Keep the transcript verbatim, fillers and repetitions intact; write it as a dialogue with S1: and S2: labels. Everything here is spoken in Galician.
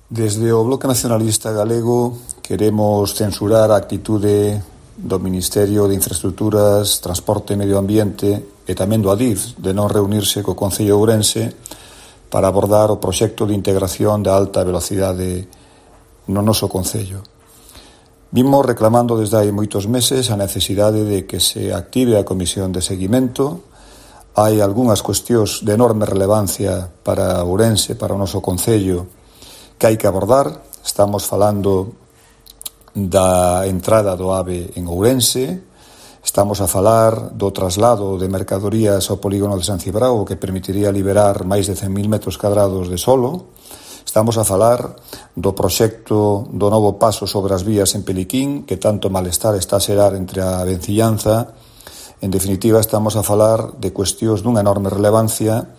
S1: Desde o Bloque Nacionalista Galego queremos censurar a actitude do Ministerio de Infraestructuras, Transporte e Medio Ambiente e tamén do Adif de non reunirse co Concello de Ourense para abordar o proxecto de integración da alta velocidade no noso Concello. Vimos reclamando desde hai moitos meses a necesidade de que se active a Comisión de Seguimento. Hai algunhas cuestións de enorme relevancia para Ourense, para o noso Concello, que hai que abordar. Estamos falando da entrada do AVE en Ourense, estamos a falar do traslado de mercadorías ao polígono de San Cibrao, que permitiría liberar máis de cen mil metros cadrados de solo. Estamos a falar do proxecto do novo paso sobre as vías en Peliquín, que tanto malestar está a xerar entre a venciñanza. En definitiva, estamos a falar de cuestións dunha enorme relevancia